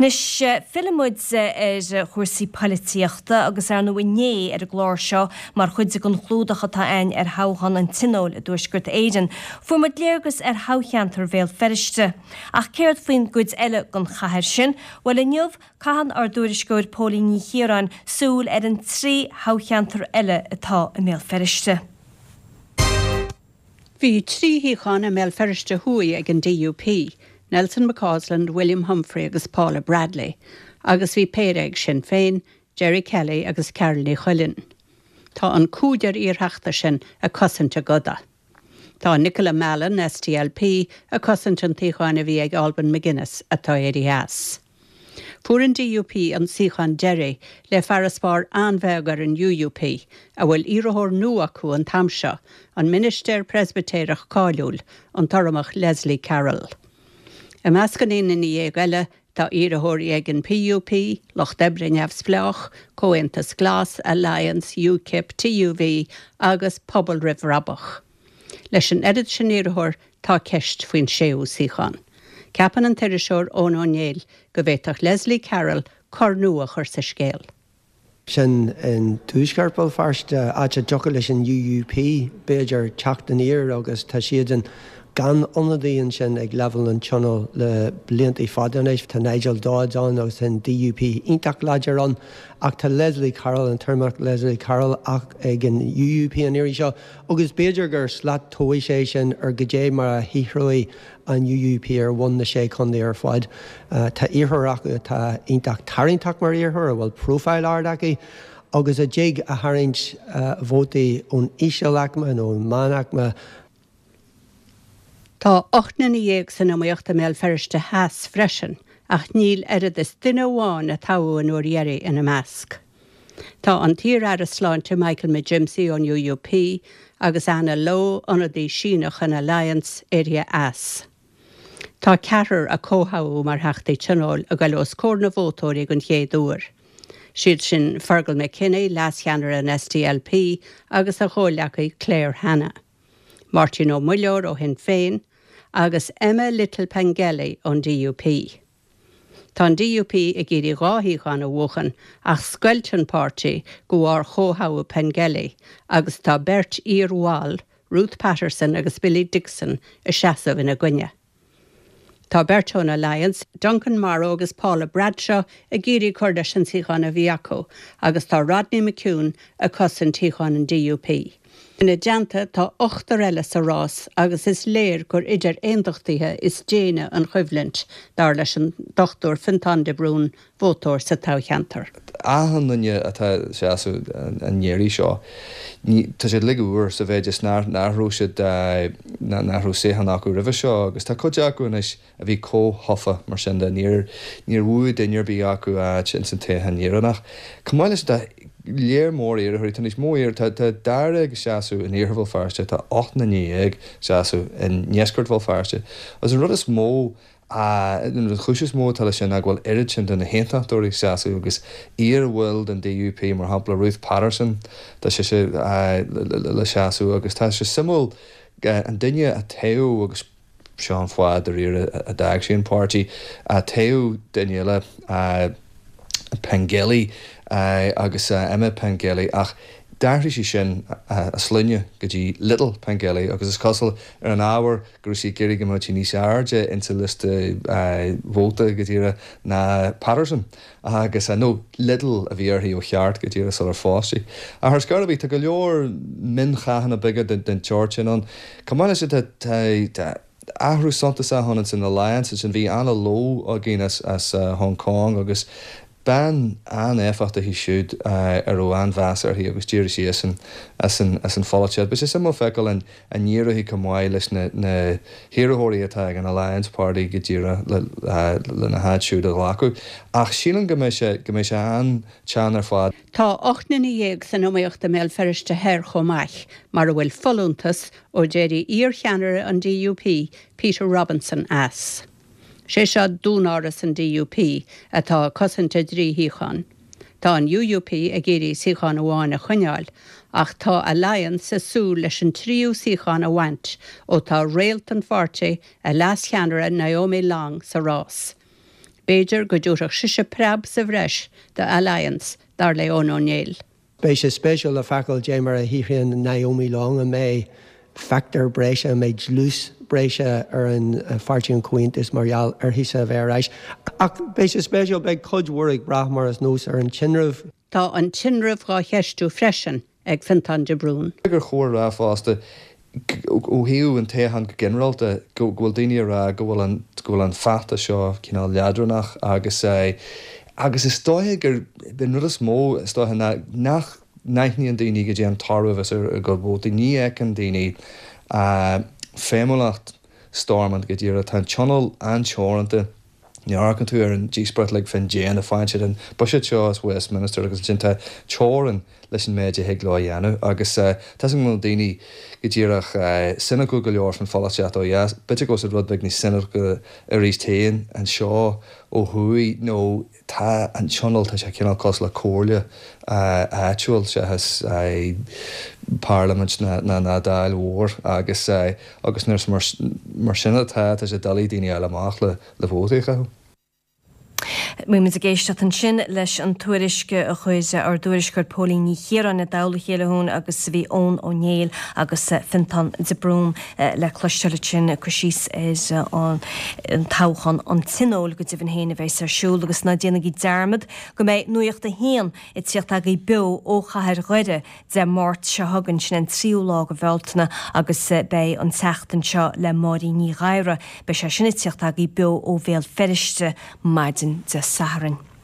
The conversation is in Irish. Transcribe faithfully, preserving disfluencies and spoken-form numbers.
Anois fillfidh muid ar chúrsaí polaitíochta agus ar ndóigh inné ar an gclár seo mar chuid den chlúdach atá againn ar thoghchán an Tionóil i dTuaisceart Éireann. Fuair muid léargas ar thoghcheantar Bhéal Feirste. Ach céard faoin gcuid eile den chathair sin? Bhuel inniu caitheann ár dtuairisceoir Póilín Ní Chiaráin súil ar an trí thoghcheantar eile atá i mBéal Feirste. Bhí trí shuíochán i mBéal Feirste Thuaidh ag an DUP, Nelson McCausland, William Humphrey agus Paula Bradley, agus bhí péire ag Sinn Féin, Gerry Kelly agus Carál Ní Chuilín. Tá an cúigear iartheachta sin ag cosaint a gcoda. Tá Nicola Mallon SDLP ag cosaint an tsuíocháin a bhí ag Alban McGuinness atá éirithe as. Fuair an DUP an suíochán deiridh le farasbarr an-bheag ar an UUP, a bhfuil iarrthóir nua acu an t-am seo, an ministir Preispitéireach cáiliúil, an tUrramach Leslie Carroll. I measc an aon duine dhéag eile tá iarrthóirí ag an PUP, Lucht Oibre Neamhspleách, Comhaontas Glas, Alliance, UKIP, TUV agus Pobal Roimh Bhrabach. Leis an oiread sin iarrthóir tá ceist faoin séú suíochán. Ceapann an t-iriseoir Eoin Ó Néill go bhféadfadh Leslie Carroll cor nua a chur sa scéal. Sin in tuaisceart Bhéal Feirste áit a dtiocfadh leis an UUP b'fhéidir teacht aniar agus tá siad an gan ionadaí ansin ag leibhéal an tionóil le blianta fada anois tá Nigel Dodds ann agus an DUP iontach láidir ann ach tá Leslie Carroll an tUrramach Leslie Carroll ach ag an UUP an iarraidh seo agus b'fhéidir gur slat tomhais é sin ar goidé mar a shaothróidh an UUP ar bhonn na sé chontae ar fad. Uh, tá iarrthóir acu atá iontach tarraingteach mar iarrthóir a bhfuil profile ard aici, agus a dtig a tharraingt uh, vótaí ón ísealaicme nó ón meánaicme Tá ocht nduine dhéag san iomaíocht i mBéal Feirste Theas freisin, ach níl oiread is duine amháin a toghadh an uair dheiridh ina measc. Tá an t-iar-aire sláinte Michael McGimpsey ón UUP agus Anna Lo ionadaí Síneach an Alliance éirithe as. Tá ceathrar a comhthoghadh mar theachtaí tionóil ag dul os comhair na vótóirí den chéad uair. Siad sin Fergal McKinney, leascheannaire an SDLP agus a chomhghleacaí Claire Hanna. Máirtín Ó Muilleoir ó Shinn Féin, agus Emma Little Pengelly ón DUP. Tá an DUP ag iarraidh dhá shuíochán a bhuachan ach scoilt an páirtí de bharr chomhthoghadh Pengelly agus tá beirt iarbhaill, Ruth Patterson agus Billy Dixon ag seasamh ina gcoinne. Tá beirt ón Alliance, Duncan Morrow agus Paula Bradshaw ag iarraidh cur leis an suíochán a bhí acu, agus tá Rodney McCune ag cosaint shuíochán an DUP. Ina dteannta tá ochtar eile sa rás agus is léir gur idir aontachtaithe is déine an choimhlint dar leis an Dr Fintán de Brún vótóir sa toghcheantar. Achan duine atá ag seasamh an iarraidh seo. Tá siad uilig úr sa mhéid is nach raibh siad nach raibh suíochán acu roimhe seo agus tá cuid acu anois a bhí comhthofa mar sin de níor níor bhuaigh duine ar bith acu áit ins an toghchán dheireanach. Chomh maith leis tá léar mór iarrthóirí tá níos mó iar tá dáréag ag seasamh in iarthar Bhéal Feirste tá ocht nduine dhéag ag seasamh i ndeisceart Bhéal Feirste. Agus an rud is mó an chúis is mó atá leis sin ná go bhfuil oiread sin de na haontachtóirí ag seasamh agus iarbhaill den DUP mar shampla Ruth Patterson tá sé sé le seasamh agus tá sé suimiúil an duine a toghadh agus seo an fáth dáiríre a d'fhág sí an páirtí a toghadh duine eile Pengelly agus Emma Pengelly ach d'athraigh sí sin a sloinne go dtí Little Pengelly agus is cosúil ar an ábhar go raibh sí ag iarraidh go mbeadh sí níos airde insa liosta vóta go díreach ná Patterson agus nó Little a bhí uirthi ó cheart go díreach sular phós sí. Ach ar scor ar bith tá go leor mionchathanna beaga den den tsórt sin ann. Chomh maith leis tá athrú suntasach ann san Alliance sin bhí Anna Lo againn as as Hong Kong agus bean an-éifeachtach í siúd ar raibh an-mheas uirthi agus d'éirigh sí as an as an as an pholaitíocht. Beidh sé suimiúil feiceáil an an n-éireoidh chomh maith leis na na hiarrthóirí atá ag an Alliance Party go díreach le lena háit siúd a ghlacadh. Ach sílim go mbeidh sé go mbeidh sé an-teann ar fad. Tá ocht nduine dhéag san iomaíocht i mBéal Feirste Thoir chomh maith, mar a bhfuil folúntas ó d'éirigh iarcheannaire an DUP, Peter Robinson as. Sé seo dúnáras an DUP atá ag cosaint a dtrí shuíochán. Tá an UUP ag iarraidh suíochán amháin a choinneáil, ach tá Alliance ag súil leis an tríú suíochán a bhaint ó tá réalt an pháirtí a leascheannaire Naomi Long sa rás. B'fhéidir go dtabharfadh sise preab sa bhreis do Alliance dar le Eoin Ó Néill. Beidh sé spéisiúil le feiceáil cad é mar a shaothraíonn Naomi Long an mbeidh factor breise an mbeidh dlús breise ar an Pháirtí an Chomhaontais mar gheall uirthise a bheith ar ais. Ach beidh sé spéisiúil beidh cuid mhór ag brath mar is nós ar an tinreamh. Tá an tinreamh á cheistiú freisin ag Fintán de Brún. Gur chóir rá fosta ó thaobh an toghcháin go ginearálta go bhfuil daoine ag rá go bhfuil an go bhfuil an feachtas seo cineál leadránach agus agus is dóiche gur an rud is mó is dóiche ná nach n-aithníonn daoine go dtí an toradh ar a gcuid vótaí ní fheiceann daoine feidhmiúlacht Stormont go díreach tá an tionól an-teoranta Ní amharcann tú ar an díospóireacht like fén déine faigheann siad an buiséad seo as Westminster agus ansin tá teorainn leis an méid a thig leo a dhéanamh agus tá a fhios agam go bhfuil daoine go díreach soineanta go leor faoin pholaitíocht ó dheas. B'fhéidir go bhfuil siad rud beag níos soineanta arís féin anseo ó thuaidh nó tá an tionól tá sé cineál cosúil le comhairle áitiúil seachas parlaimint ná ná dáil mhór agus agus nuair mar sin atá tá sé doiligh daoine a fháil amach le le vótaí a chaitheamh. Bhí muid ag éisteacht ansin leis an tuairisc a chuir ár dtuairisceoir Póilín Ní Chiaráin i dtoll a chéile chugainn agus bhí Eoin Ó Néill agus Fintán de Brún le cloisteáil ansin ag cur síos ar an toghchán an Tionóil go deimhin féin a bheas ar siúl agus ná déanaigí dearmad go mbeidh Nuacht a hAon ag tíocht agaibh beo ó chathair Dhoire Dé Máirt seo chugainn sin an tríú lá de Bhealtaine agus beidh an tseachtain seo le Máirín Ní Ghadhra. Beidh sé sin ag tíocht agaibh beo ó Bhéal Feirste maidin Dé Sathairn.